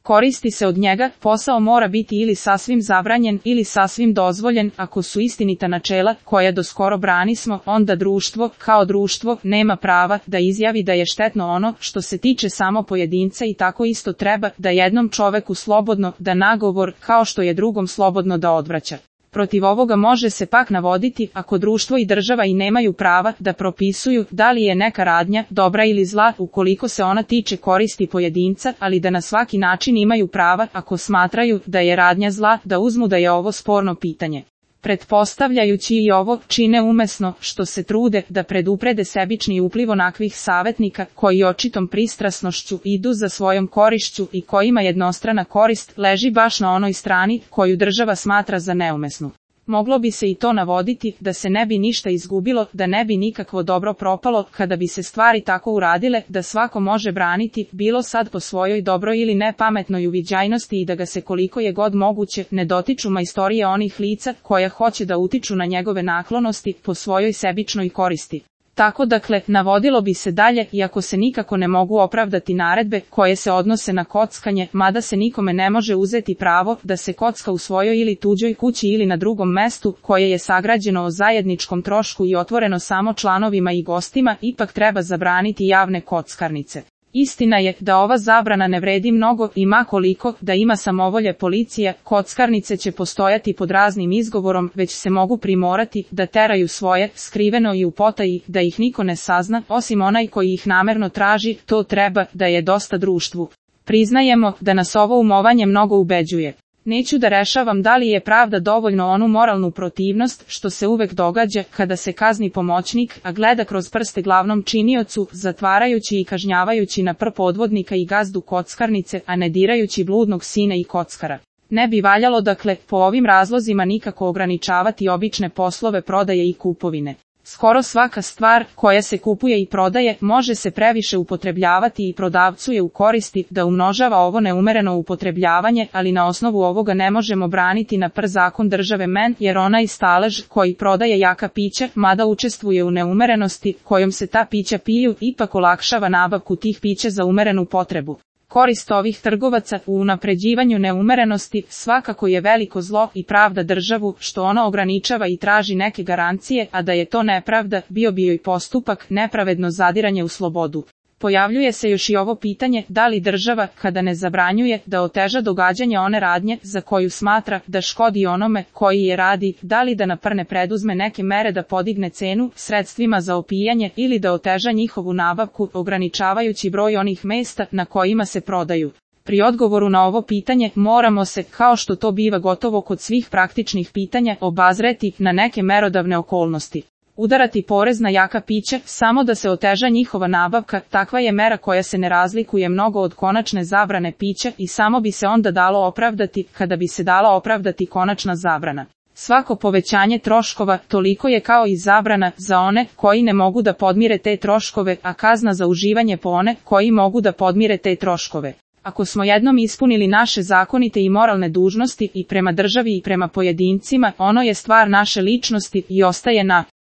koristi se od njega, posao mora biti ili sasvim zabranjen ili sasvim dozvoljen. Ako su istinita načela koja doskoro branismo, onda društvo, kao društvo, nema prava da izjavi da je štetno ono što se tiče samo pojedinca i tako isto treba da jednom čoveku slobodno da nagovor, kao što je drugom slobodno da odvraća. Protiv ovoga može se pak navoditi ako društvo i država i nemaju prava da propisuju da li je neka radnja dobra ili zla ukoliko se ona tiče koristi pojedinca, ali da na svaki način imaju prava ako smatraju da je radnja zla da uzmu da je ovo sporno pitanje. Pretpostavljajući i ovo, čine umesno što se trude da preduprede sebični upliv onakvih savetnika koji očitom pristrasnošću idu za svojom korišću i kojima jednostrana korist leži baš na onoj strani koju država smatra za neumesnu. Moglo bi se i to navoditi da se ne bi ništa izgubilo, da ne bi nikakvo dobro propalo kada bi se stvari tako uradile da svako može braniti, bilo sad po svojoj dobroj ili nepametnoj uviđajnosti i da ga se koliko je god moguće ne dotiču majstorije onih lica koja hoće da utiču na njegove naklonosti po svojoj sebičnoj koristi. Tako dakle, navodilo bi se dalje, iako se nikako ne mogu opravdati naredbe koje se odnose na kockanje, mada se nikome ne može uzeti pravo da se kocka u svojoj ili tuđoj kući ili na drugom mestu koje je sagrađeno o zajedničkom trošku i otvoreno samo članovima i gostima, ipak treba zabraniti javne kockarnice. Istina je da ova zabrana ne vredi mnogo i ma koliko da ima samovolje policija, kockarnice će postojati pod raznim izgovorom, već se mogu primorati da teraju svoje, skriveno i u potaji, da ih niko ne sazna, osim onaj koji ih namerno traži, to treba da je dosta društvu. Priznajemo da nas ovo umovanje mnogo ubeđuje. Neću da rešavam da li je pravda dovoljno onu moralnu protivnost što se uvek događa kada se kazni pomoćnik, a gleda kroz prste glavnom činiocu, zatvarajući i kažnjavajući na podvodnika i gazdu kockarnice, a ne dirajući bludnog sina i kockara. Ne bi valjalo dakle po ovim razlozima nikako ograničavati obične poslove prodaje i kupovine. Skoro svaka stvar koja se kupuje i prodaje može se previše upotrebljavati i prodavcu je u koristi da umnožava ovo neumereno upotrebljavanje, ali na osnovu ovoga ne možemo braniti na zakon države jer onaj stalež koji prodaje jaka pića, mada učestvuje u neumerenosti kojom se ta pića piju, ipak olakšava nabavku tih pića za umerenu potrebu. Korist ovih trgovaca u unapređivanju neumerenosti svakako je veliko zlo i pravda državu što ona ograničava i traži neke garancije, a da je to nepravda, bio bi joj postupak nepravedno zadiranje u slobodu. Pojavljuje se još i ovo pitanje da li država, kada ne zabranjuje, da oteža događanje one radnje za koju smatra da škodi onome koji je radi, da li da naprne preduzme neke mere da podigne cenu sredstvima za opijanje ili da oteža njihovu nabavku, ograničavajući broj onih mesta na kojima se prodaju. Pri odgovoru na ovo pitanje moramo se, kao što to biva gotovo kod svih praktičnih pitanja, obazreti na neke merodavne okolnosti. Udarati porez na jaka pića samo da se oteža njihova nabavka, takva je mera koja se ne razlikuje mnogo od konačne zabrane pića i samo bi se onda dalo opravdati kada bi se dala opravdati konačna zabrana. Svako povećanje troškova toliko je kao i zabrana za one koji ne mogu da podmire te troškove, a kazna za uživanje po one koji mogu da podmire te troškove. Ako smo jednom ispunili naše zakonite i moralne dužnosti i prema državi i prema pojedincima, ono je stvar naše ličnosti i ostaje